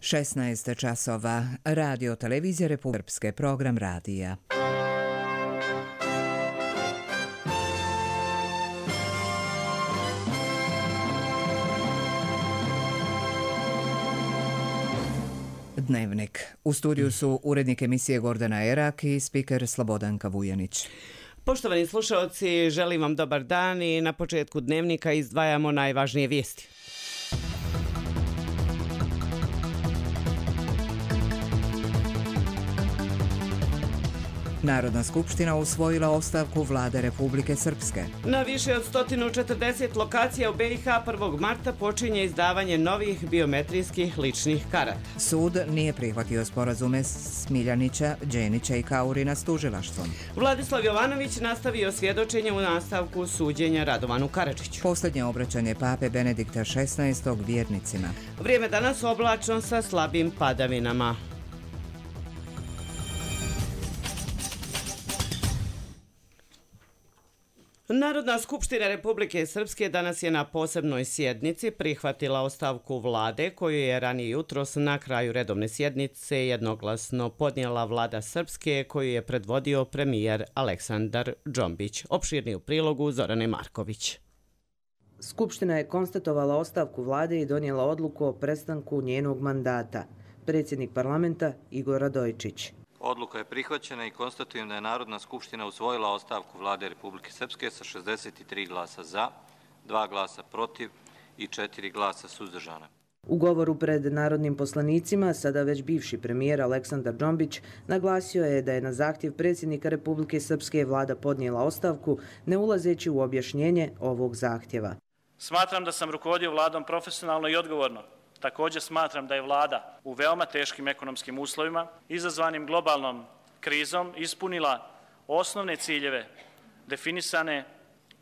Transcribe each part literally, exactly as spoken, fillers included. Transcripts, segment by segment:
šesnaest časova. Radio televizija Republike Srpske, program radija. Dnevnik. U studiju su urednik emisije Gordana Erak i spiker Slobodanka Vujanić. Poštovani slušalci, želim vam dobar dan i na početku dnevnika izdvajamo najvažnije vijesti. Narodna skupština usvojila ostavku vlade Republike Srpske. Na više od sto četrdeset lokacija u B i H prvog marta počinje izdavanje novih biometrijskih ličnih karata. Sud nije prihvatio sporazume Smiljanića, Đenića i Kaurina s tužilaštvom. Vladislav Jovanović nastavio svjedočenje u nastavku suđenja Radovanu Karadžiću. Posljednje obraćanje pape Benedikta šesnaestog vjernicima. Vrijeme danas oblačno sa slabim padavinama. Narodna skupština Republike Srpske danas je na posebnoj sjednici prihvatila ostavku vlade koju je ranije jutros na kraju redovne sjednice jednoglasno podnijela vlada Srpske koju je predvodio premijer Aleksandar Džombić. Opširni u prilogu Zorane Marković. Skupština je konstatovala ostavku vlade i donijela odluku o prestanku njenog mandata. Predsjednik parlamenta Igor Radojčić. Odluka je prihvaćena i konstatujem da je Narodna skupština usvojila ostavku vlade Republike Srpske sa šezdeset tri glasa za, dva glasa protiv i četiri glasa suzdržana. U govoru pred narodnim poslanicima, sada već bivši premijer Aleksandar Džombić naglasio je da je na zahtjev predsjednika Republike Srpske vlada podnijela ostavku, ne ulazeći u objašnjenje ovog zahtjeva. Smatram da sam rukovodio vladom profesionalno i odgovorno. Također smatram da je vlada u veoma teškim ekonomskim uslovima, izazvanim globalnom krizom, ispunila osnovne ciljeve definisane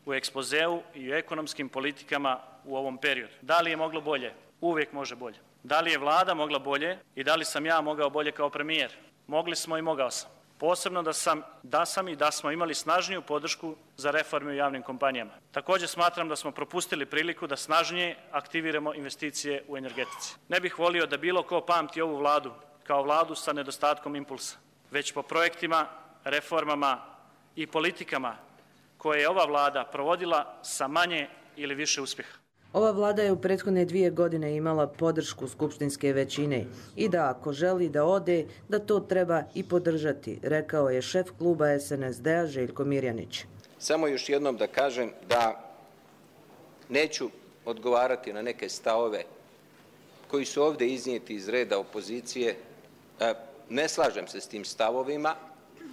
u ekspozeu i u ekonomskim politikama u ovom periodu. Da li je moglo bolje? Uvijek može bolje. Da li je vlada mogla bolje i da li sam ja mogao bolje kao premijer? Mogli smo i mogao sam. Posebno da sam, da sam i da smo imali snažniju podršku za reforme u javnim kompanijama. Također smatram da smo propustili priliku da snažnije aktiviramo investicije u energetici. Ne bih volio da bilo ko pamti ovu vladu kao vladu sa nedostatkom impulsa, već po projektima, reformama i politikama koje je ova vlada provodila sa manje ili više uspjeha. Ova vlada je u prethodne dvije godine imala podršku skupštinske većine i da ako želi da ode, da to treba i podržati, rekao je šef kluba S N S D-a Željko Mirjanić. Samo još jednom da kažem da neću odgovarati na neke stavove koji su ovdje iznijeti iz reda opozicije. Ne slažem se s tim stavovima,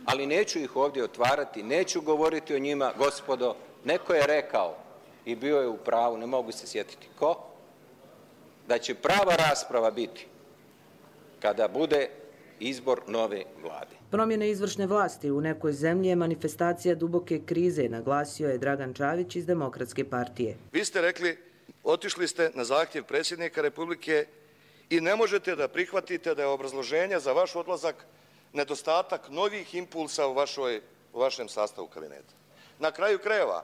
ali neću ih ovdje otvarati, neću govoriti o njima. Gospodo, neko je rekao i bio je u pravu, ne mogu se sjetiti ko, da će prava rasprava biti kada bude izbor nove vlade. Promjene izvršne vlasti u nekoj zemlji je manifestacija duboke krize, naglasio je Dragan Čavić iz Demokratske partije. Vi ste rekli, otišli ste na zahtjev predsjednika Republike i ne možete da prihvatite da je obrazloženje za vaš odlazak nedostatak novih impulsa u, vašoj, u vašem sastavu kabineta. Na kraju krajeva,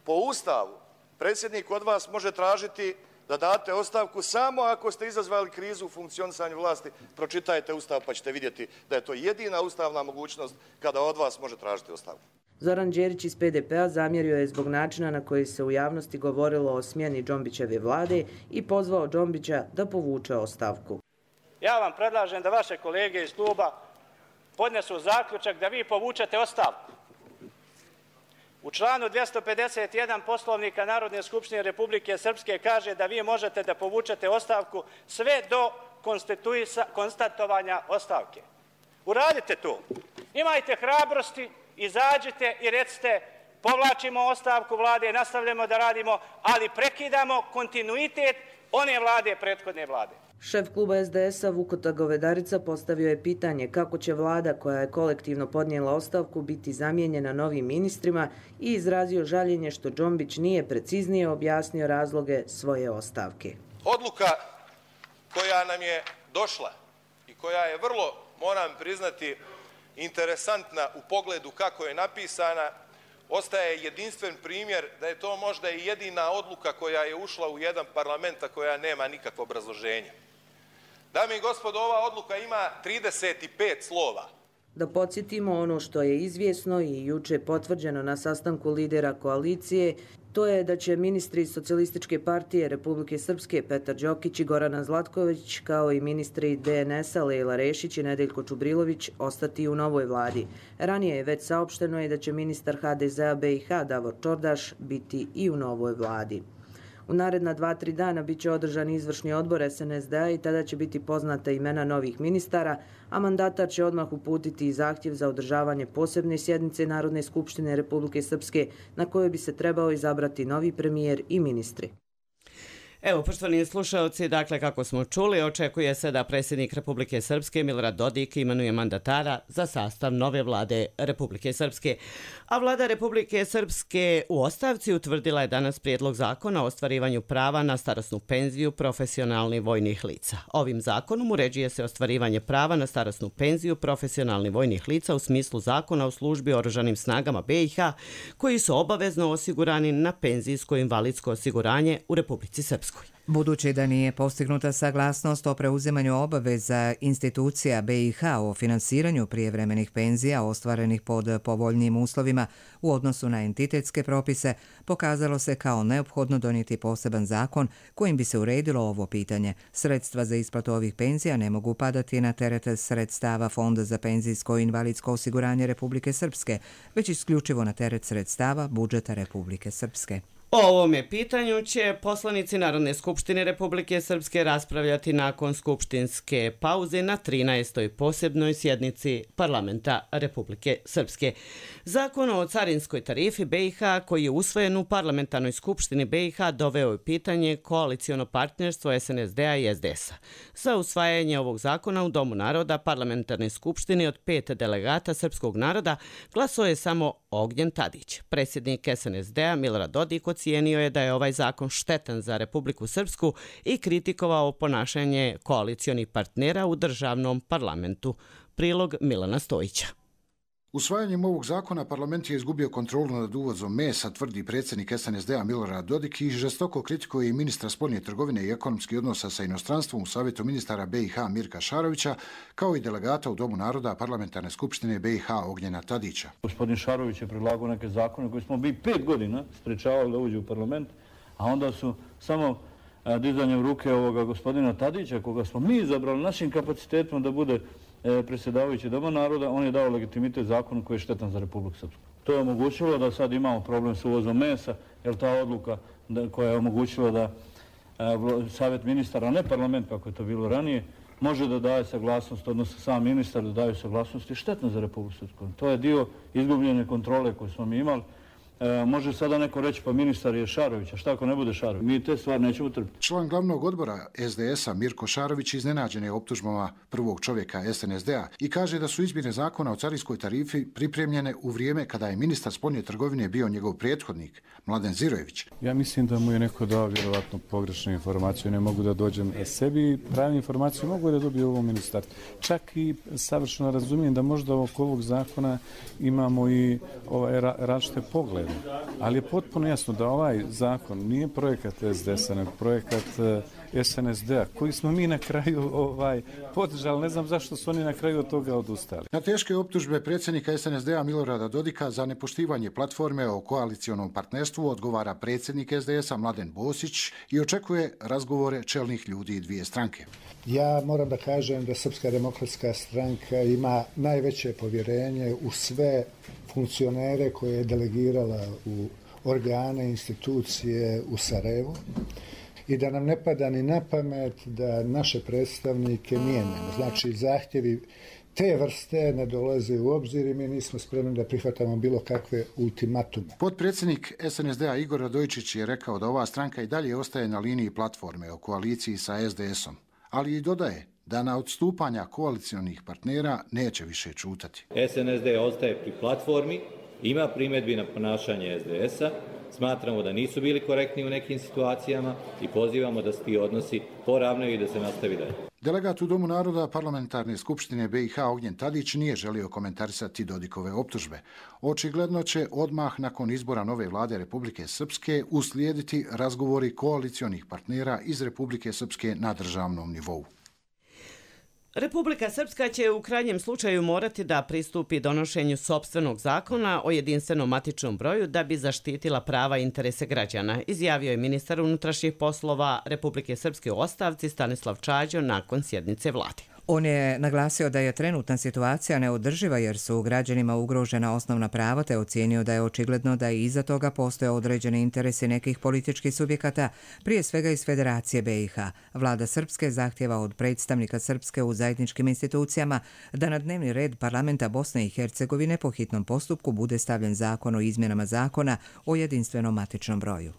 po Ustavu, predsjednik od vas može tražiti da date ostavku samo ako ste izazvali krizu u funkcionisanju vlasti. Pročitajte Ustav pa ćete vidjeti da je to jedina ustavna mogućnost kada od vas može tražiti ostavku. Zoran Đerić iz P D P-a zamjerio je zbog načina na koji se u javnosti govorilo o smjeni Džombićeve vlade i pozvao Džombića da povuče ostavku. Ja vam predlažem da vaše kolege iz kluba podnesu zaključak da vi povučete ostavku. U članu dvjesto pedeset jedan Poslovnika Narodne skupštine Republike Srpske kaže da vi možete da povučete ostavku sve do konstatovanja ostavke. Uradite to. Imajte hrabrosti, izađite i recite povlačimo ostavku vlade, nastavljamo da radimo, ali prekidamo kontinuitet one vlade, prethodne vlade. Šef kluba S D S-a Vukota Govedarica postavio je pitanje kako će vlada koja je kolektivno podnijela ostavku biti zamijenjena novim ministrima i izrazio žaljenje što Džombić nije preciznije objasnio razloge svoje ostavke. Odluka koja nam je došla i koja je vrlo, moram priznati, interesantna u pogledu kako je napisana, ostaje jedinstven primjer da je to možda i jedina odluka koja je ušla u jedan parlament, a koja nema nikakvo obrazloženje. Dame i gospodo, ova odluka ima trideset pet slova. Da podsjetimo ono što je izvjesno i juče potvrđeno na sastanku lidera koalicije, to je da će ministri Socijalističke partije Republike Srpske Petar Đokić i Gorana Zlatković, kao i ministri D N S-a Lejla Rešić i Nedeljko Čubrilović ostati u novoj vladi. Ranije je već saopšteno i da će ministar H D Z-a B i H Davor Čordaš biti i u novoj vladi. U naredna dva, tri dana bit će održan izvršni odbor S N S D-a i tada će biti poznata imena novih ministara, a mandatar će odmah uputiti i zahtjev za održavanje posebne sjednice Narodne skupštine Republike Srpske na kojoj bi se trebao izabrati novi premijer i ministri. Evo, poštovani slušalci, dakle, kako smo čuli, očekuje se da predsjednik Republike Srpske Milorad Dodik imenuje mandatara za sastav nove vlade Republike Srpske. A vlada Republike Srpske u ostavci utvrdila je danas prijedlog zakona o ostvarivanju prava na starosnu penziju profesionalnih vojnih lica. Ovim zakonom uređuje se ostvarivanje prava na starosnu penziju profesionalnih vojnih lica u smislu zakona o službi oružanim snagama B i H koji su obavezno osigurani na penzijsko-invalidsko osiguranje u Republici Srpskoj. Budući da nije postignuta saglasnost o preuzimanju obaveza institucija B i H o finansiranju prijevremenih penzija ostvarenih pod povoljnijim uslovima u odnosu na entitetske propise, pokazalo se kao neophodno donijeti poseban zakon kojim bi se uredilo ovo pitanje. Sredstva za isplatu ovih penzija ne mogu padati na teret sredstava Fonda za penzijsko i invalidsko osiguranje Republike Srpske, već isključivo na teret sredstava budžeta Republike Srpske. O ovome pitanju će poslanici Narodne skupštine Republike Srpske raspravljati nakon skupštinske pauze na trinaestoj posebnoj sjednici Parlamenta Republike Srpske. Zakon o carinskoj tarifi B i H koji je usvojen u Parlamentarnoj skupštini B i H doveo je pitanje koaliciono partnerstvo S N S D-a i S D S-a. Za usvajanje ovog zakona u Domu naroda Parlamentarne skupštine od pet delegata srpskog naroda glasao je samo Ognjen Tadić. Predsjednik S N S D-a Milorad Dodik ocijenio je da je ovaj zakon štetan za Republiku Srpsku i kritikovao ponašanje koalicionih partnera u državnom parlamentu. Prilog Milana Stojića. Usvajanjem ovog zakona parlament je izgubio kontrolu nad uvozom mesa, tvrdi predsjednik S N S D-a Milorad Dodik i žestoko kritikuje i ministra spoljne trgovine i ekonomskih odnosa sa inostranstvom u Savjetu ministara B i H Mirka Šarovića, kao i delegata u Domu naroda Parlamentarne skupštine B i H Ognjena Tadića. Gospodin Šarović je predlagao neke zakone koji smo bi pet godina sprečavali da uđe u parlament, a onda su samo dizanjem ruke ovoga gospodina Tadića, koga smo mi izabrali našim kapacitetima da bude predsjedavajući Doma naroda, on je dao legitimitet zakonu koji je štetan za Republiku Srpsku. To je omogućilo da sad imamo problem s uvozom mesa, jer ta odluka koja je omogućila da Savjet ministara, a ne parlament kako je to bilo ranije, može da daje saglasnost, odnosno sam ministar da daju saglasnost, je štetno za Republiku Srpsku. To je dio izgubljene kontrole koju smo mi imali. E, može sada neko reći pa ministar je Šarović, a šta ako ne bude Šarović? Mi te stvari nećemo trpiti. Član glavnog odbora S D S-a Mirko Šarović iznenađen je optužbama prvog čovjeka S N S D-a i kaže da su izmjene zakona o carinskoj tarifi pripremljene u vrijeme kada je ministar spoljne trgovine bio njegov prethodnik, Mladen Zirojević. Ja mislim da mu je neko dao vjerovatno pogrešnu informaciju, ne mogu da dođem sebi, pravi informaciju mogu da dobiju ovo ministarstvo. Čak i savršeno razumijem da možda oko ovog zakona imamo i ovaj različite poglede. Ali je potpuno jasno da ovaj zakon nije projekat S D S-a, nego projekat S N S D-a, koji smo mi na kraju ovaj, podržali. Ne znam zašto su oni na kraju od toga odustali. Na teške optužbe predsjednika S N S D-a Milorada Dodika za nepoštivanje platforme o koalicionom partnerstvu odgovara predsjednik S D S-a Mladen Bosić i očekuje razgovore čelnih ljudi dvije stranke. Ja moram da kažem da Srpska demokratska stranka ima najveće povjerenje u sve funkcionere koje je delegirala u organe, institucije u Sarajevu i da nam ne pada ni na pamet da naše predstavnike mijenjamo. Znači, zahtjevi te vrste ne dolaze u obzir i mi nismo spremni da prihvatamo bilo kakve ultimatume. Potpredsjednik S N S D-a Igor Radojičić je rekao da ova stranka i dalje ostaje na liniji platforme o koaliciji sa S D S-om, ali i dodaje da na odstupanja koalicionih partnera neće više čutati. S N S D ostaje pri platformi, ima primjedbi na ponašanje S D S-a, smatramo da nisu bili korektni u nekim situacijama i pozivamo da se ti odnosi poravnaju i da se nastavi dalje. Delegat u Domu naroda Parlamentarne skupštine B i H Ognjen Tadić nije želio komentarisati Dodikove optužbe. Očigledno će odmah nakon izbora nove vlade Republike Srpske uslijediti razgovori koalicionih partnera iz Republike Srpske na državnom nivou. Republika Srpska će u krajnjem slučaju morati da pristupi donošenju sopstvenog zakona o jedinstvenom matičnom broju da bi zaštitila prava i interese građana, izjavio je ministar unutrašnjih poslova Republike Srpske u ostavci Stanislav Čađo nakon sjednice vlade. On je naglasio da je trenutna situacija neodrživa jer su građanima ugrožena osnovna prava te ocijenio da je očigledno da i iza toga postoje određeni interesi nekih političkih subjekata, prije svega iz Federacije B i H. Vlada Srpske zahtjeva od predstavnika Srpske u zajedničkim institucijama da na dnevni red parlamenta Bosne i Hercegovine po hitnom postupku bude stavljen zakon o izmjenama zakona o jedinstvenom matičnom broju.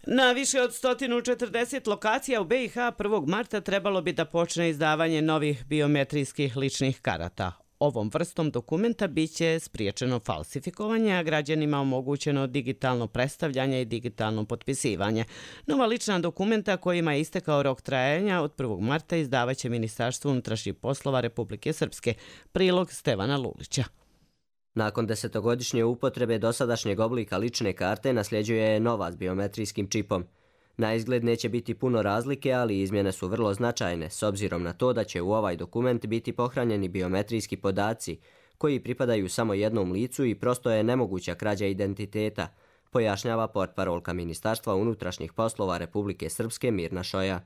Na više od sto četrdeset lokacija u B i H prvog marta trebalo bi da počne izdavanje novih biometrijskih ličnih karata. Ovom vrstom dokumenta biće spriječeno falsifikovanje, a građanima omogućeno digitalno predstavljanje i digitalno potpisivanje. Nova lična dokumenta kojima je istekao rok trajanja od prvog marta izdavaće Ministarstvo unutrašnjih poslova Republike Srpske. Prilog Stevana Lulića. Nakon desetogodišnje upotrebe dosadašnjeg oblika lične karte nasljeđuje je nova s biometrijskim čipom. Na izgled neće biti puno razlike, ali izmjene su vrlo značajne, s obzirom na to da će u ovaj dokument biti pohranjeni biometrijski podaci, koji pripadaju samo jednom licu i prosto je nemoguća krađa identiteta, pojašnjava portparolka Ministarstva unutrašnjih poslova Republike Srpske Mirna Šoja.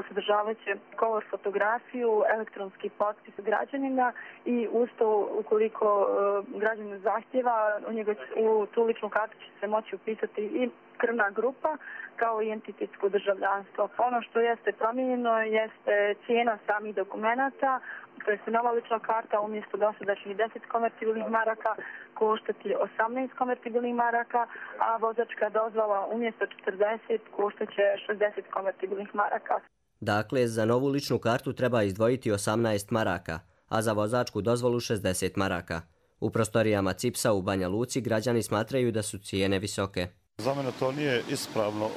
Sadržavaće color fotografiju, elektronski potpis građanina i uz to, ukoliko građanin zahtjeva, u, njega, u tu ličnu kartu će se moći upisati i krvna grupa kao i entitetsko državljanstvo. Ono što jeste promijenjeno jeste cijena samih dokumenata, to je nova lična karta umjesto dosadašnjih deset konvertibilnih maraka koštati osamnaest konvertibilnih maraka, a vozačka dozvola umjesto četrdeset koštaće šezdeset konvertibilnih maraka. Dakle, za novu ličnu kartu treba izdvojiti osamnaest maraka, a za vozačku dozvolu šezdeset maraka. U prostorijama Cipsa u Banja Luci građani smatraju da su cijene visoke. Za mene to nije ispravno,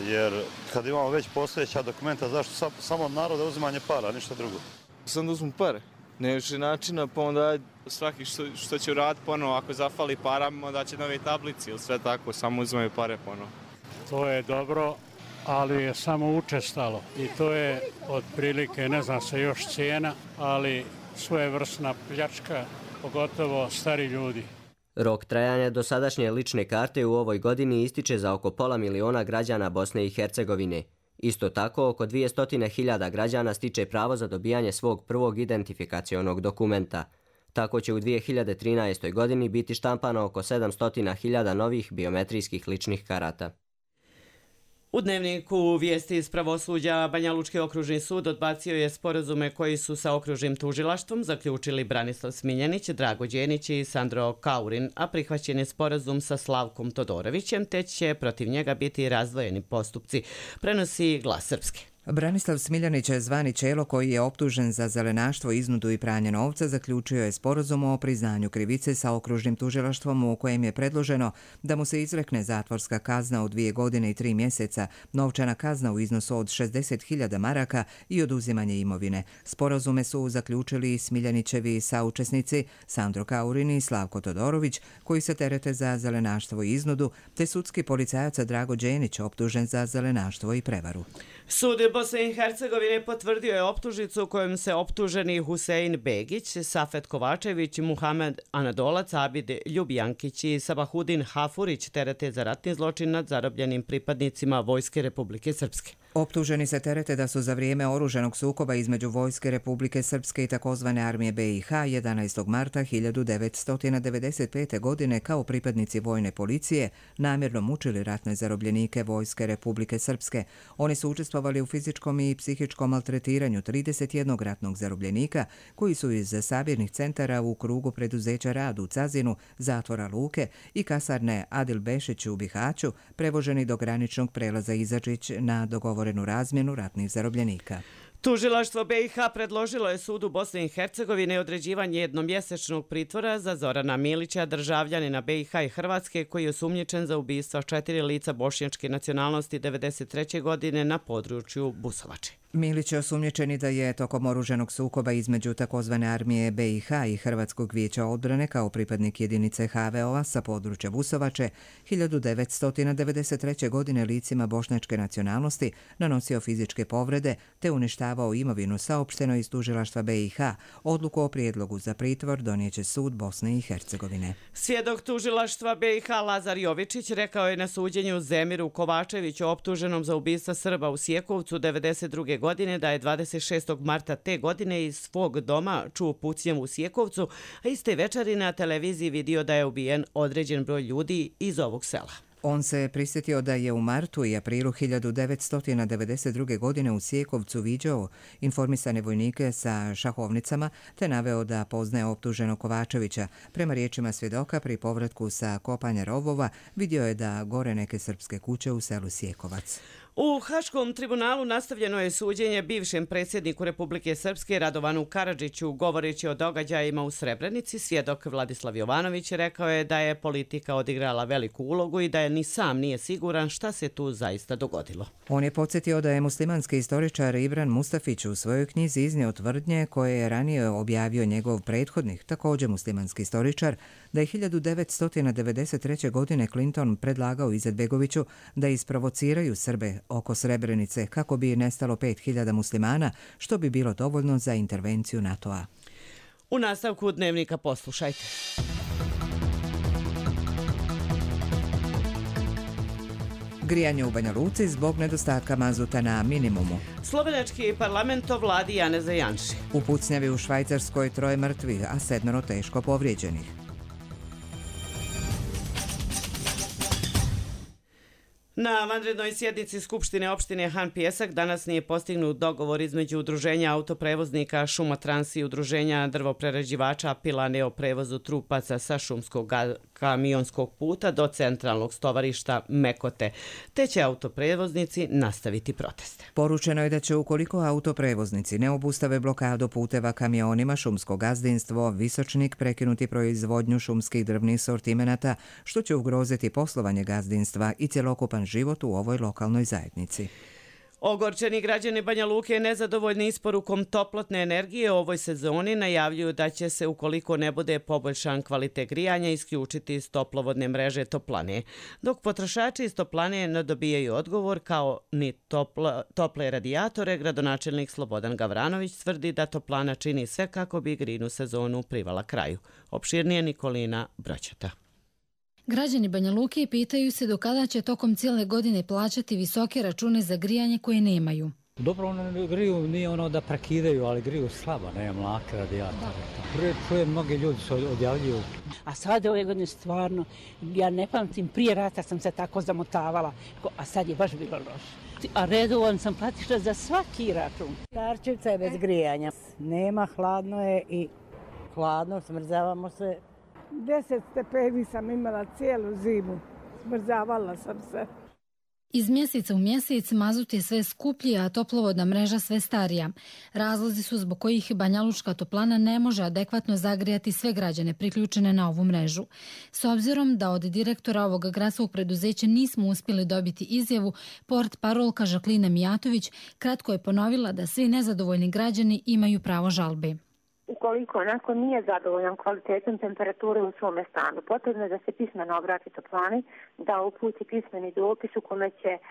jer kad imamo već postojeća dokumenta, zašto samo narode uzimanje para, ništa drugo? Sam da uzmu pare. Ne više načina, pa onda svaki što, što će uraditi ponovo, ako zafali para, onda će nove tablici ili sve tako, samo uzimaju pare ponovo. To je dobro, ali je samo učestalo i to je otprilike, ne znam se još cijena, ali svojevrsna pljačka, pogotovo stari ljudi. Rok trajanja dosadašnje lične karte u ovoj godini ističe za oko pola miliona građana Bosne i Hercegovine. Isto tako, oko dvjesto hiljada građana stiče pravo za dobijanje svog prvog identifikacionog dokumenta. Tako će u dvije hiljade trinaestoj. godini biti štampano oko sedamsto hiljada novih biometrijskih ličnih karata. U dnevniku vijesti iz pravosuđa Banja Lučki okružni sud odbacio je sporazume koji su sa okružnim tužilaštvom zaključili Branislav Smiljanić, Drago Đenić i Sandro Kaurin, a prihvaćen je sporazum sa Slavkom Todorovićem, te će protiv njega biti razdvojeni postupci, prenosi Glas Srpske. Branislav Smiljanić, zvani Čelo, koji je optužen za zelenaštvo, iznudu i pranje novca, zaključio je sporazum o priznanju krivice sa okružnim tužilaštvom u kojem je predloženo da mu se izrekne zatvorska kazna od dvije godine i tri mjeseca, novčana kazna u iznosu od šezdeset hiljada maraka i oduzimanje imovine. Sporazume su zaključili Smiljanićevi saučesnici Sandro Kaurin i Slavko Todorović, koji se terete za zelenaštvo i iznudu, te sudski policajac Drago Đenić, optužen za zelenaštvo i prevaru. Sud Bosne i Hercegovine potvrdio je optužnicu kojom se optuženi Husein Begić, Safet Kovačević, Muhamed Anadolac, Abid Ljubijankić i Sabahudin Hafurić terete za ratni zločin nad zarobljenim pripadnicima Vojske Republike Srpske. Optuženi se terete da su za vrijeme oružanog sukoba između Vojske Republike Srpske i takozvane armije B i H jedanaestog marta hiljadu devetsto devedeset pete. godine kao pripadnici vojne policije namjerno mučili ratne zarobljenike Vojske Republike Srpske. Oni su učestvovali u fizičkom i psihičkom maltretiranju trideset jednog ratnog zarobljenika koji su iz sabirnih centara u krugu preduzeća Rad u Cazinu, zatvora Luke i kasarne Adil Bešić u Bihaću prevoženi do graničnog prelaza Izačić na dogovorenu razmjenu ratnih zarobljenika. Tužilaštvo B i H predložilo je sudu Bosne i Hercegovine određivanje jednomjesečnog pritvora za Zorana Milića, državljanina B i H i Hrvatske, koji je osumnjičen za ubistva četiri lica bošnjačke nacionalnosti devedeset treće. godine na području Busovače. Milić je osumnjičeni da je tokom oruženog sukoba između takozvane armije B i H i Hrvatskog vijeća odbrane kao pripadnik jedinice H V O-a sa područja Busovače hiljadu devetsto devedeset treće. godine licima bošnjačke nacionalnosti nanosio fizičke povrede te uništavao imovinu, saopšteno iz tužilaštva B i H. Odluku o prijedlogu za pritvor donijeće sud Bosne i Hercegovine. Svjedok tužilaštva B i H Lazar Jovičić rekao je na suđenju Zemiru Kovačeviću optuženom za ubistva Srba u Sjekovcu devedeset druge. godine da je dvadeset šestog marta te godine iz svog doma čuo pucnjavu u Sjekovcu, a iste večeri na televiziji vidio da je ubijen određen broj ljudi iz ovog sela. On se prisjetio da je u martu i aprilu hiljadu devetsto devedeset druge. godine u Sjekovcu viđao informisane vojnike sa šahovnicama te naveo da poznaje optuženog Kovačevića. Prema riječima svjedoka, pri povratku sa kopanja rovova vidio je da gore neke srpske kuće u selu Sjekovac. U Haškom tribunalu nastavljeno je suđenje bivšem predsjedniku Republike Srpske Radovanu Karadžiću. Govoreći o događajima u Srebrenici, svjedok Vladislav Jovanović rekao je da je politika odigrala veliku ulogu i da je ni sam nije siguran šta se tu zaista dogodilo. On je podsjetio da je muslimanski istoričar Ibran Mustafić u svojoj knjizi iznio tvrdnje koje je ranije objavio njegov prethodnik, također muslimanski istoričar, da je hiljadu devetsto devedeset treće. godine Clinton predlagao Izetbegoviću da isprovociraju Srbe oko Srebrenice kako bi nestalo pet hiljada muslimana, što bi bilo dovoljno za intervenciju NATO-a. U nastavku dnevnika poslušajte. Grijanje u Banja Luci zbog nedostatka mazuta na minimumu. Slovenački parlament o vladi Janeza Janši. U pucnjavi u Švajcarskoj troje mrtvih, a sedmero teško povrijeđenih. Na vanrednoj sjednici Skupštine opštine Han Pijesak danas nije postignut dogovor između Udruženja autoprevoznika Šumatrans i Udruženja drvoprerađivača Pilane o prevozu trupaca sa šumskog kamionskog puta do centralnog stovarišta Mekote, te će autoprevoznici nastaviti proteste. Poručeno je da će ukoliko autoprevoznici ne obustave blokadu puteva kamionima, šumsko gazdinstvo Visočnik prekinuti proizvodnju šumskih drvnih sortimenata, što će ugroziti poslovanje gazdinstva i cjelokupan život u ovoj lokalnoj zajednici. Ogorčeni građani Banja Luke nezadovoljni isporukom toplotne energije u ovoj sezoni najavljuju da će se, ukoliko ne bude poboljšan kvalitet grijanja, isključiti iz toplovodne mreže toplane. Dok potrošači iz toplane ne dobijaju odgovor kao ni topla, tople radijatore, gradonačelnik Slobodan Gavranović tvrdi da toplana čini sve kako bi grinu sezonu privala kraju. Opširnije Nikolina Broćata. Građani Banja Luke pitaju se do kada će tokom cijele godine plaćati visoke račune za grijanje koje nemaju. Dobro, ono griju nije ono da prekidaju, ali griju slabo, nema mlake radijatore. Prije čuje mnogi ljudi se odjavljuju. A sad ove godine stvarno, ja ne pamtim, prije rata sam se tako zamotavala, a sad je baš bilo loše. A redovan sam platišla za svaki račun. Starčevca je bez grijanja. Nema, hladno je i hladno, smrzavamo se. Deset stepeni sam imala cijelu zimu. Smrzavala sam se. Iz mjeseca u mjesec mazut je sve skuplji, a toplovodna mreža sve starija. Razlozi su zbog kojih Banja Lučka toplana ne može adekvatno zagrijati sve građane priključene na ovu mrežu. S obzirom da od direktora ovog gradskog preduzeća nismo uspjeli dobiti izjavu, port parolka Žaklina Mijatović kratko je ponovila da svi nezadovoljni građani imaju pravo žalbe. Ukoliko neko nije zadovoljan kvalitetom temperature u svome stanu, potrebno je da se pismeno obrati toplani, da uputi pismeni dopis u kome će uh,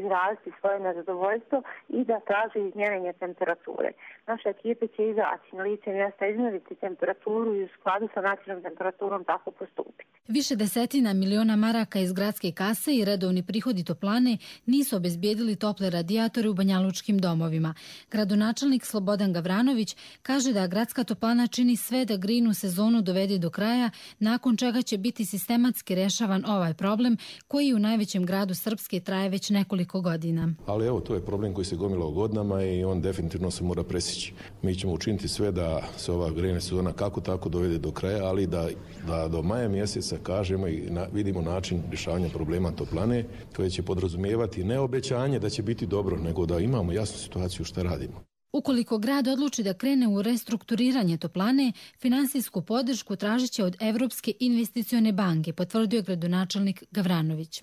izraziti svoje nezadovoljstvo i da traži izmjerenje temperature. Naša ekipa će izaći na lice mjesta, izmjeriti temperaturu i u skladu sa nacionalnom temperaturom tako postupiti. Više desetina miliona maraka iz gradske kase i redovni prihodi toplane nisu obezbijedili tople radijatore u banjalučkim domovima. Gradonačelnik Slobodan Gavranović kaže da gradska toplana čini sve da grinu sezonu dovede do kraja, nakon čega će biti sistematski rešavan ovaj problem koji u najvećem gradu Srpske traje već nekoliko godina. Ali evo, to je problem koji se gomilao godinama i on definitivno se mora presjeći. Mi ćemo učiniti sve da se ova grejna sezona kako tako dovede do kraja, ali da, da do maja mjeseca kažemo i na, vidimo način rješavanja problema toplane koje će podrazumijevati ne obećanje da će biti dobro, nego da imamo jasnu situaciju šta radimo. Ukoliko grad odluči da krene u restrukturiranje toplane, finansijsku podršku tražit će od Evropske investicione banke, potvrdio gradonačelnik Gavranović.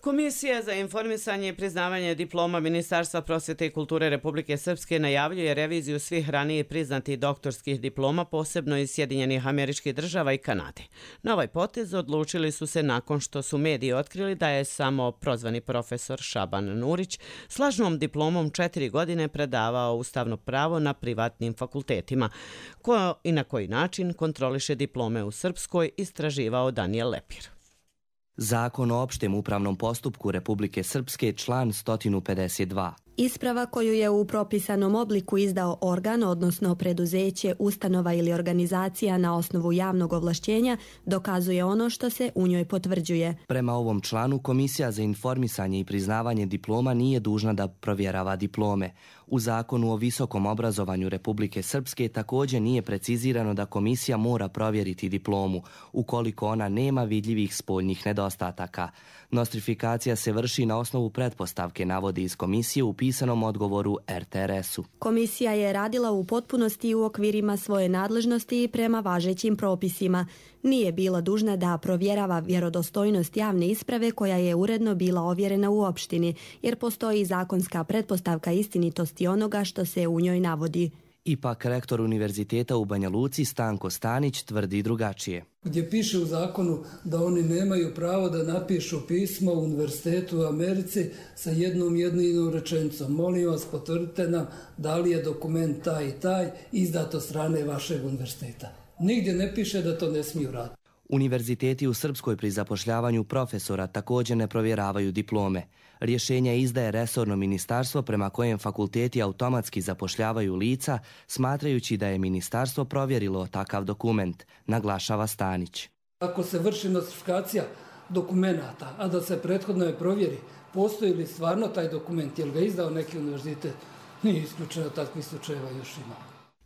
Komisija za informisanje i priznavanje diploma Ministarstva prosvjete i kulture Republike Srpske najavljuje reviziju svih ranije priznatih doktorskih diploma, posebno iz Sjedinjenih Američkih Država i Kanade. Na ovaj potez odlučili su se nakon što su mediji otkrili da je samo prozvani profesor Šaban Nurić s lažnom diplomom četiri godine predavao ustavno pravo na privatnim fakultetima. Ko i na koji način kontroliše diplome u Srpskoj, istraživao Danijel Lepir. Zakon o opštem upravnom postupku Republike Srpske, član sto pedeset dva. Isprava koju je u propisanom obliku izdao organ, odnosno preduzeće, ustanova ili organizacija na osnovu javnog ovlašćenja, dokazuje ono što se u njoj potvrđuje. Prema ovom članu, Komisija za informisanje i priznavanje diploma nije dužna da provjerava diplome. U Zakonu o visokom obrazovanju Republike Srpske također nije precizirano da komisija mora provjeriti diplomu, ukoliko ona nema vidljivih spoljnih nedostataka. Nostrifikacija se vrši na osnovu pretpostavke, navodi iz komisije u pisanom odgovoru er te er esu. Komisija je radila u potpunosti u okvirima svoje nadležnosti i prema važećim propisima. Nije bila dužna da provjerava vjerodostojnost javne isprave koja je uredno bila ovjerena u opštini, jer postoji zakonska pretpostavka istinitosti onoga što se u njoj navodi. Ipak rektor Univerziteta u Banja Luci Stanko Stanić tvrdi drugačije. Gdje piše u zakonu da oni nemaju pravo da napišu pismo u Univerzitetu u Americi sa jednom jedinom rečenicom. Molim vas, potvrdite nam da li je dokument taj i taj izdat od strane vašeg univerziteta. Nigdje ne piše da to ne smiju raditi. Univerziteti u Srpskoj pri zapošljavanju profesora također ne provjeravaju diplome. Rješenja izdaje resorno ministarstvo prema kojem fakulteti automatski zapošljavaju lica, smatrajući da je ministarstvo provjerilo takav dokument, naglašava Stanić. Ako se vrši nostrifikacija dokumenata, a da se prethodno je provjeri, postoji li stvarno taj dokument, je li ga izdao neki univerzitet, nije isključeno, takvih slučajeva još ima.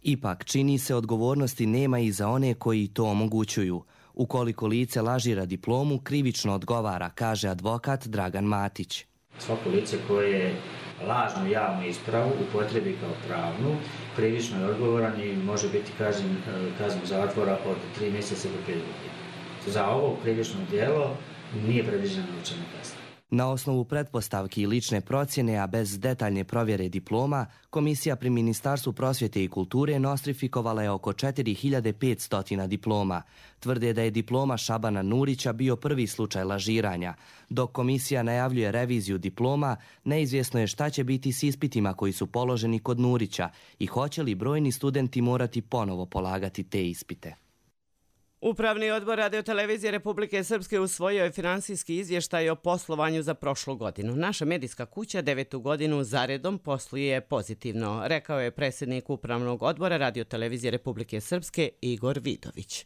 Ipak, čini se odgovornosti nema i za one koji to omogućuju. Ukoliko lice lažira diplomu, krivično odgovara, kaže advokat Dragan Matić. Svako lice koje lažnu javnu ispravu upotrebi kao pravnu, krivično je odgovoran i može biti kažnjen kaznom zatvora od tri mjeseca do pet godina. Za ovo krivično djelo nije predviđena novčana kazna. Na osnovu pretpostavki i lične procjene, a bez detaljne provjere diploma, komisija pri Ministarstvu prosvjete i kulture nostrifikovala je oko četiri hiljade petsto diploma. Tvrde da je diploma Šabana Nurića bio prvi slučaj lažiranja. Dok komisija najavljuje reviziju diploma, neizvjesno je šta će biti s ispitima koji su položeni kod Nurića i hoće li brojni studenti morati ponovo polagati te ispite. Upravni odbor Radio-televizije Republike Srpske usvojio je finansijski izvještaj o poslovanju za prošlu godinu. Naša medijska kuća devetu godinu zaredom posluje pozitivno, rekao je predsjednik Upravnog odbora Radio-televizije Republike Srpske Igor Vidović.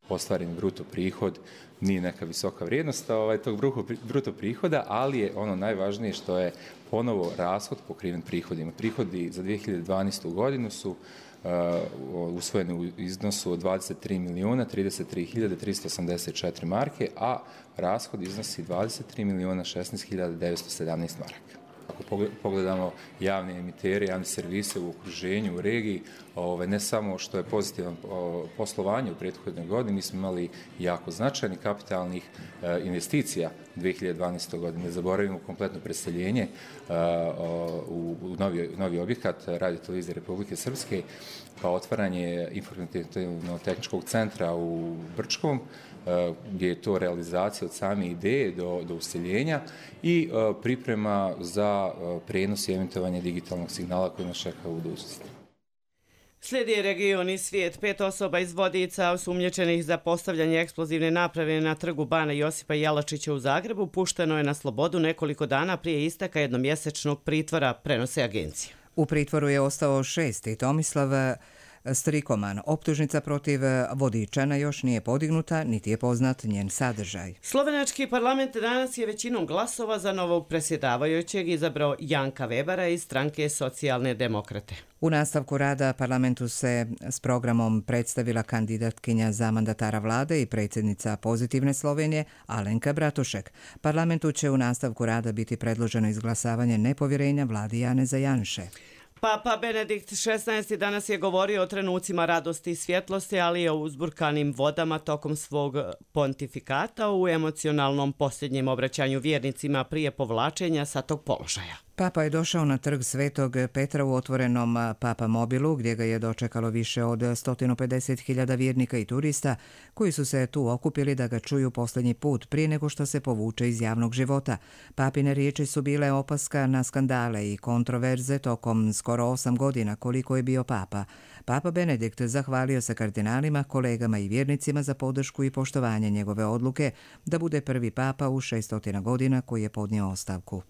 Ostvaren bruto prihod nije neka visoka vrijednost ovaj, tog bruto prihoda, ali je ono najvažnije što je ponovo rashod pokriven prihodima. Prihodi za dvije hiljade dvanaestu godinu su Uh, usvojeni u iznosu od dvadeset tri milijuna trideset tri hiljade tristo osamdeset četiri marke, a rashod iznosi dvadeset tri milijuna šesnaest hiljada devetsto sedamnaest maraka. Ako pogledamo javne emitere, javne servise u okruženju, u regiji, ove, ne samo što je pozitivan poslovanje u prethodnoj godini, mi smo imali jako značajnih kapitalnih e, investicija u dvije hiljade dvanaestoj godini. Ne zaboravimo kompletno preseljenje e, u, u novi, novi objekat Radio-televizije Republike Srpske, pa otvaranje informativno-tehničkog centra u Brčkom, gdje je to realizacija od same ideje do, do useljenja i uh, priprema za uh, prenos i emitovanje digitalnog signala koji nas čeka u budućnosti. Slijedi region i svijet. Pet osoba iz Vodica osumnjičenih za postavljanje eksplozivne naprave na trgu Bana Josipa Jelačića u Zagrebu pušteno je na slobodu nekoliko dana prije isteka jednomjesečnog pritvora, prenose agencije. U pritvoru je ostao šesti Tomislav Strikoman. Optužnica protiv Vodičana još nije podignuta, niti je poznat njen sadržaj. Slovenački parlament danas je većinom glasova za novog predsjedavajućeg izabrao Janka Webera iz stranke Socijalne demokrate. U nastavku rada parlamentu se s programom predstavila kandidatkinja za mandatara vlade i predsjednica Pozitivne Slovenije Alenka Bratušek. Parlamentu će u nastavku rada biti predloženo izglasavanje nepovjerenja vladi Janeza Janše. Papa Benedikt šesnaesti danas je govorio o trenucima radosti i svjetlosti, ali i o uzburkanim vodama tokom svog pontifikata u emocionalnom posljednjem obraćanju vjernicima prije povlačenja sa tog položaja. Papa je došao na trg Svetog Petra u otvorenom Papa mobilu, gdje ga je dočekalo više od sto pedeset hiljada vjernika i turista koji su se tu okupili da ga čuju posljednji put prije nego što se povuče iz javnog života. Papine riječi su bile opaska na skandale i kontroverze tokom skoro osam godina koliko je bio papa. Papa Benedikt zahvalio se kardinalima, kolegama i vjernicima za podršku i poštovanje njegove odluke da bude prvi papa u šeststotina godina koji je podnio ostavku.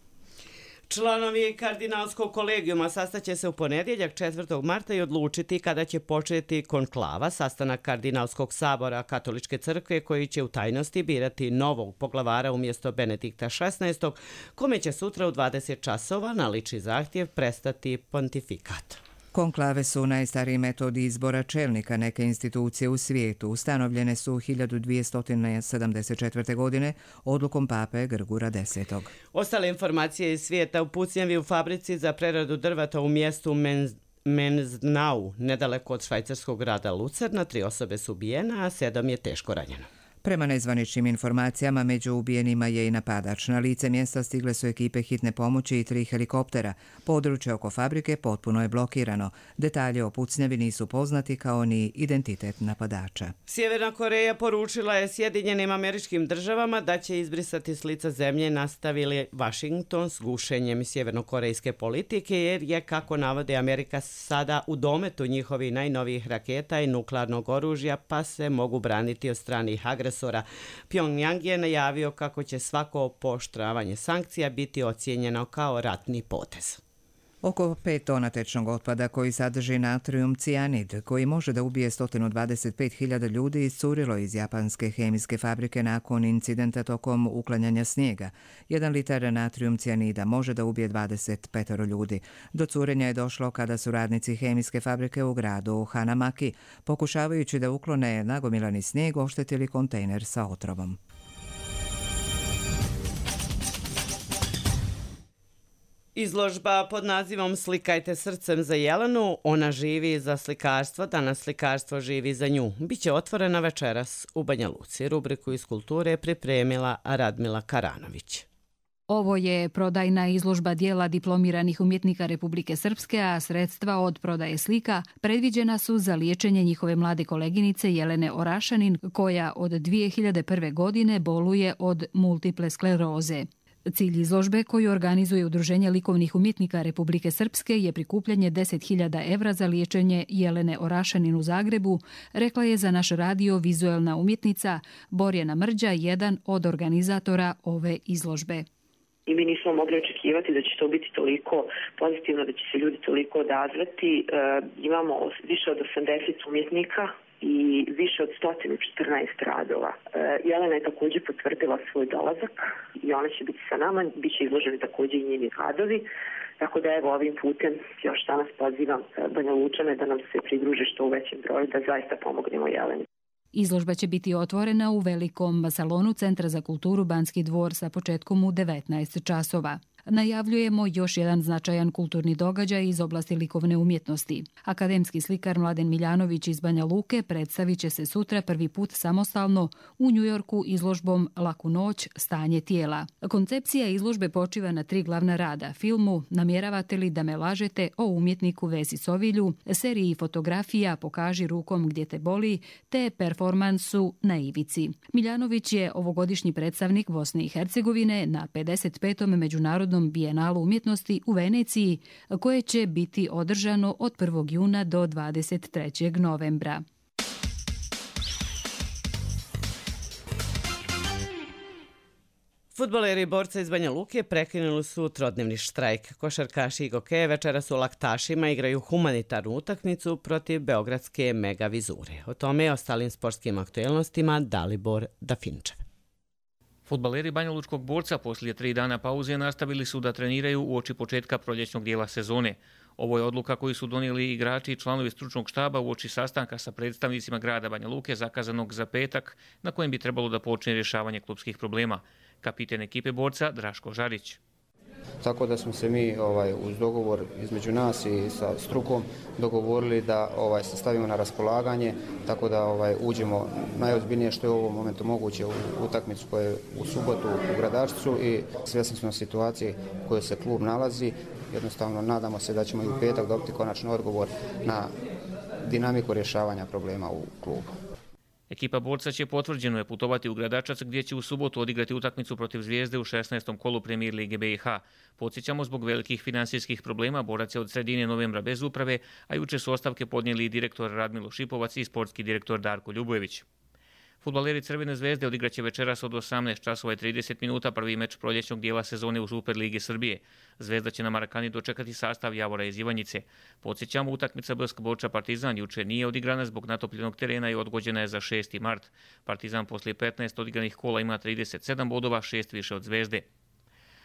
Članovi kardinalskog kolegijuma sastaće se u ponedjeljak četvrtog marta i odlučiti kada će početi konklava, sastanak kardinalskog sabora Katoličke crkve koji će u tajnosti birati novog poglavara umjesto Benedikta šesnaestog, kome će sutra u dvadeset časova na lični zahtjev prestati pontifikat. Konklave su najstariji metod izbora čelnika neke institucije u svijetu. Ustanovljene su hiljadu dvjesto sedamdeset četvrte. godine odlukom pape Grgura desetog. Ostale informacije iz svijeta: u pucnjavi u fabrici za preradu drveta u mjestu Menz Menznau, nedaleko od švajcarskog grada Lucerna, tri osobe su ubijene, a sedam je teško ranjeno. Prema nezvaničnim informacijama, među ubijenima je i napadač. Na lice mjesta stigle su ekipe hitne pomoći i tri helikoptera. Područje oko fabrike potpuno je blokirano. Detalje o pucnjavi nisu poznati kao ni identitet napadača. Sjeverna Koreja poručila je Sjedinjenim Američkim Državama da će izbrisati s lica zemlje, nastavili Washington s gušenjem sjevernokorejske politike, jer je, kako navode, Amerika sada u dometu njihovih najnovijih raketa i nuklearnog oružja, pa se mogu braniti od stranih agresora. Pyongyang je najavio kako će svako pooštravanje sankcija biti ocijenjeno kao ratni potez. Oko pet tona tečnog otpada koji sadrži natrium cijanid, koji može da ubije sto dvadeset pet hiljada ljudi, iscurilo iz japanske hemijske fabrike nakon incidenta tokom uklanjanja snijega. Jedan litar natrium cijanida može da ubije dvadeset pet ljudi. Do curenja je došlo kada su radnici hemijske fabrike u gradu Hanamaki, pokušavajući da uklone nagomilani snijeg, oštetili kontejner sa otrovom. Izložba pod nazivom Slikajte srcem za Jelenu, ona živi za slikarstvo, danas slikarstvo živi za nju. Biće otvorena večeras u Banja Luci. Rubriku iz kulture je pripremila Radmila Karanović. Ovo je prodajna izložba dijela diplomiranih umjetnika Republike Srpske, a sredstva od prodaje slika predviđena su za liječenje njihove mlade koleginice Jelene Orašanin, koja od dvije hiljade prve. godine boluje od multiple skleroze. Cilj izložbe, koju organizuje Udruženje likovnih umjetnika Republike Srpske, je prikupljanje deset hiljada evra za liječenje Jelene Orašanin u Zagrebu, rekla je za naš radio vizuelna umjetnica Borjana Mrđa, jedan od organizatora ove izložbe. I mi nismo mogli očekivati da će to biti toliko pozitivno, da će se ljudi toliko odazvati. E, imamo više od osamdeset umjetnika i više od sto četrnaest radova. E, Jelena je također potvrdila svoj dolazak i ona će biti sa nama, bit će izloženi također i njeni radovi. Tako da evo ovim putem još danas pozivam Banja Lučane da nam se pridruže što u većem broju, da zaista pomognemo Jeleni. Izložba će biti otvorena u velikom salonu Centra za kulturu Banski dvor sa početkom u devetnaest časova. Najavljujemo još jedan značajan kulturni događaj iz oblasti likovne umjetnosti. Akademski slikar Mladen Miljanović iz Banja Luke predstavit će se sutra prvi put samostalno u Njujorku izložbom Laku noć, stanje tijela. Koncepcija izložbe počiva na tri glavna rada: filmu Namjeravate li da me lažete o umjetniku Vesi Sovilju, seriji fotografija Pokaži rukom gdje te boli, te performansu Na ivici. Miljanović je ovogodišnji predstavnik Bosne i Hercegovine na pedeset petom međunarodnom Bijenalu umjetnosti u Veneciji, koje će biti održano od prvog juna do dvadeset trećeg novembra. Fudbaleri borca iz Banja Luke prekinuli su trodnevni štrajk. Košarkaši i gokeje večeras u Laktašima igraju humanitarnu utakmicu protiv beogradske Mega Vizure. O tome i ostalim sportskim aktuelnostima Dalibor Dafinčev. Fudbaleri banjalučkog borca poslije tri dana pauze nastavili su da treniraju uoči početka proljećnog dijela sezone. Ovo je odluka koju su donijeli igrači i članovi stručnog štaba uoči sastanka sa predstavnicima grada Banja Luke zakazanog za petak, na kojem bi trebalo da počne rješavanje klupskih problema. Kapiten ekipe borca Draško Žarić. Tako da smo se mi ovaj, uz dogovor između nas i sa strukom dogovorili da ovaj, se stavimo na raspolaganje, tako da ovaj, uđemo najozbiljnije što je u ovom momentu moguće u utakmicu koja je u subotu u Gradačcu i svjesni smo situacije u kojoj se klub nalazi. Jednostavno nadamo se da ćemo i u petak dobiti konačni odgovor na dinamiku rješavanja problema u klubu. Ekipa Borca će potvrđeno je putovati u Gradačac gdje će u subotu odigrati utakmicu protiv Zvijezde u šesnaestom kolu Premijer lige B i H. Podsjećamo, zbog velikih financijskih problema Borac je od sredine novembra bez uprave, a juče su ostavke podnijeli i direktor Radmilo Šipovac i sportski direktor Darko Ljubojević. Fudbaleri Crvene zvezde odigraće večeras od osamnaest časova i trideset minuta prvi meč proljećnog dijela sezone u Superligi Srbije. Zvezda će na Marakani dočekati sastav Javora iz Ivanjice. Podsjećamo, utakmica B S K Borča Partizan juče nije odigrana zbog natopljenog terena i odgođena je za šesti mart. Partizan poslije petnaest odigranih kola ima trideset sedam bodova, šest više od Zvezde.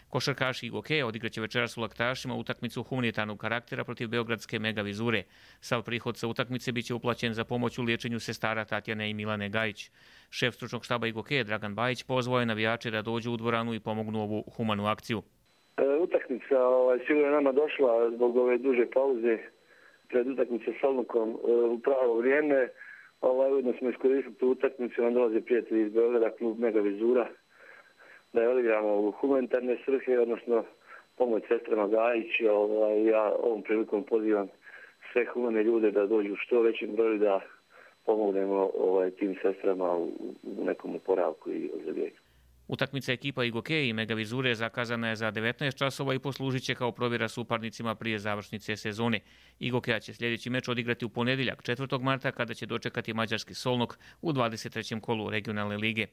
Košarkaši i Gokeja odigraće večeras u Laktašima utakmicu humanitarnog karaktera protiv beogradske Mega Vizure. Sav prihod sa utakmice biće uplaćen za pomoć u liječenju sestara Tatjane i Milane Gajić. Šef stručnog štaba i Gokeja Dragan Bajić pozvao je navijače da dođu u dvoranu i pomognu ovu humanu akciju. E, utakmica ovaj, sigurno nama došla zbog ove duže pauze pred utakmice s Olnukom e, u pravo vrijeme. Ovaj, ujedno smo iskoristili tu utakmicu, nam dolaze prijatelji iz Beograda, klub Mega Vizura, da je odigramo u humanitarne svrhe, odnosno pomoć sestrama Gajić. Ovaj, ja ovom prilikom pozivam sve humane ljude da dođu u što većem broju da pomognemo ovaj, tim sestrama u, u nekom oporavku i ozdravljenju. Utakmica ekipa Igokeje i Mega Vizure zakazana je za devetnaest časova i poslužit će kao provjera suparnicima prije završnice sezone. Igokeja će sljedeći meč odigrati u ponedjeljak četvrtog marta kada će dočekati mađarski Solnok u dvadeset trećem kolu regionalne lige.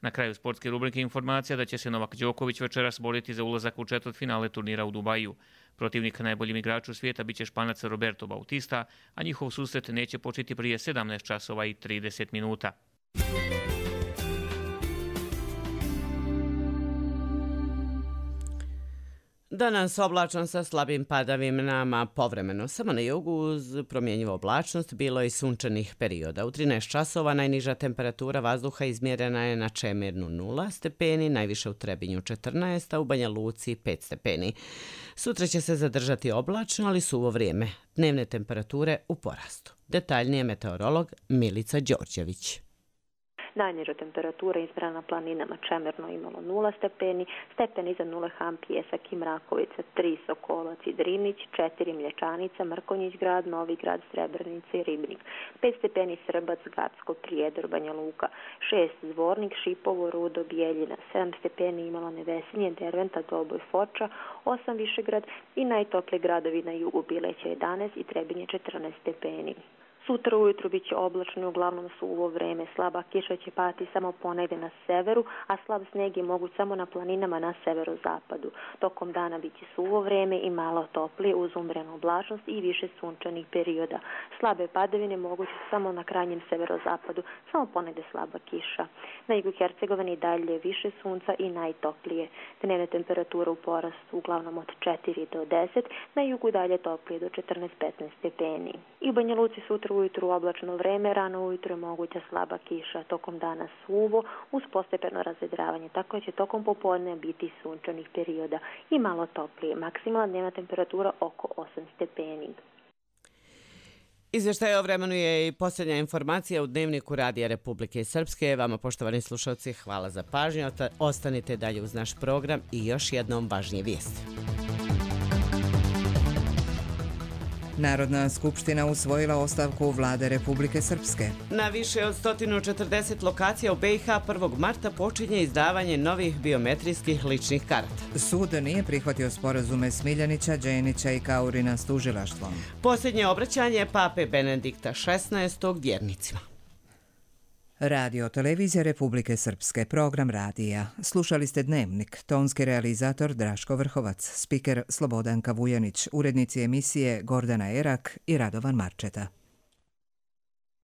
Na kraju sportske rubrike informacija da će se Novak Đoković večeras boriti za ulazak u četvrtfinale turnira u Dubaju. Protivnik najboljim igraču svijeta biće Španac Roberto Bautista, a njihov susret neće početi prije sedamnaest časova i trideset minuta. Danas oblačno sa slabim padavinama, povremeno samo na jugu uz promjenjivu oblačnost, bilo je i sunčanih perioda. U trinaest časova najniža temperatura vazduha izmjerena je na Čemirnu nula stepeni, najviše u Trebinju četrnaest, a u Banja Luci pet stepeni. Sutra će se zadržati oblačno, ali suvo vrijeme. Dnevne temperature u porastu. Detaljnije meteorolog Milica Đorđević. Najniža temperatura izmjerena na planinama Čemerno imalo nula stepeni, stepen iza nule Ham, Pjesak i Mrakovica, tri Sokolac i Drinić, četiri Mlječanica, Mrkonjić grad, Novi grad, Srebrenica i Ribnik, pet stepeni Srbac, Gacko, Prijedor, Banja Luka, šest Zvornik, Šipovo, Rudo, Bijeljina, sedam stepeni imalo Nevesinje, Derventa, Doboj, Foča, osam Višegrad i najtoplije gradovi na jugu Bileća jedanaest i Trebinje četrnaest stepeni. Sutra ujutru bit će oblačno i uglavnom suvo vreme. Slaba kiša će pati samo ponegdje na severu, a slab sneg je moguć samo na planinama na severozapadu. Tokom dana bit će suvo vreme i malo toplije uz umjerenu oblačnost i više sunčanih perioda. Slabe padavine moguće samo na krajnjem severozapadu, samo ponegdje slaba kiša. Na jugu Hercegovine i dalje više sunca i najtoplije. Dnevne temperature u porastu uglavnom od četiri do deset, na jugu dalje toplije do četrnaest do petnaest stepeni. I u Banja Luci sutra ujutru oblačno vreme, rano ujutru je moguća slaba kiša, tokom dana suvo uz postepeno razvedravanje, tako će tokom popodne biti sunčanih perioda i malo toplije. Maksimalna dnevna temperatura oko osam stepeni. Izvještaj o vremenu je i posljednja informacija u Dnevniku Radija Republike Srpske. Vama, poštovani slušalci, hvala za pažnju. Ostanite dalje uz naš program i još jednom važnije vijesti. Narodna skupština usvojila ostavku vlade Republike Srpske. Na više od sto četrdeset lokacija u B i H prvog marta počinje izdavanje novih biometrijskih ličnih karata. Sud nije prihvatio sporazume Smiljanića, Đenića i Kaurina s tužilaštvom. Posljednje obraćanje pape Benedikta šesnaestog vjernicima. Radio Televizija Republike Srpske, program radija. Slušali ste Dnevnik, tonski realizator Draško Vrhovac, spiker Slobodanka Vujanić, urednici emisije Gordana Erak i Radovan Marčeta.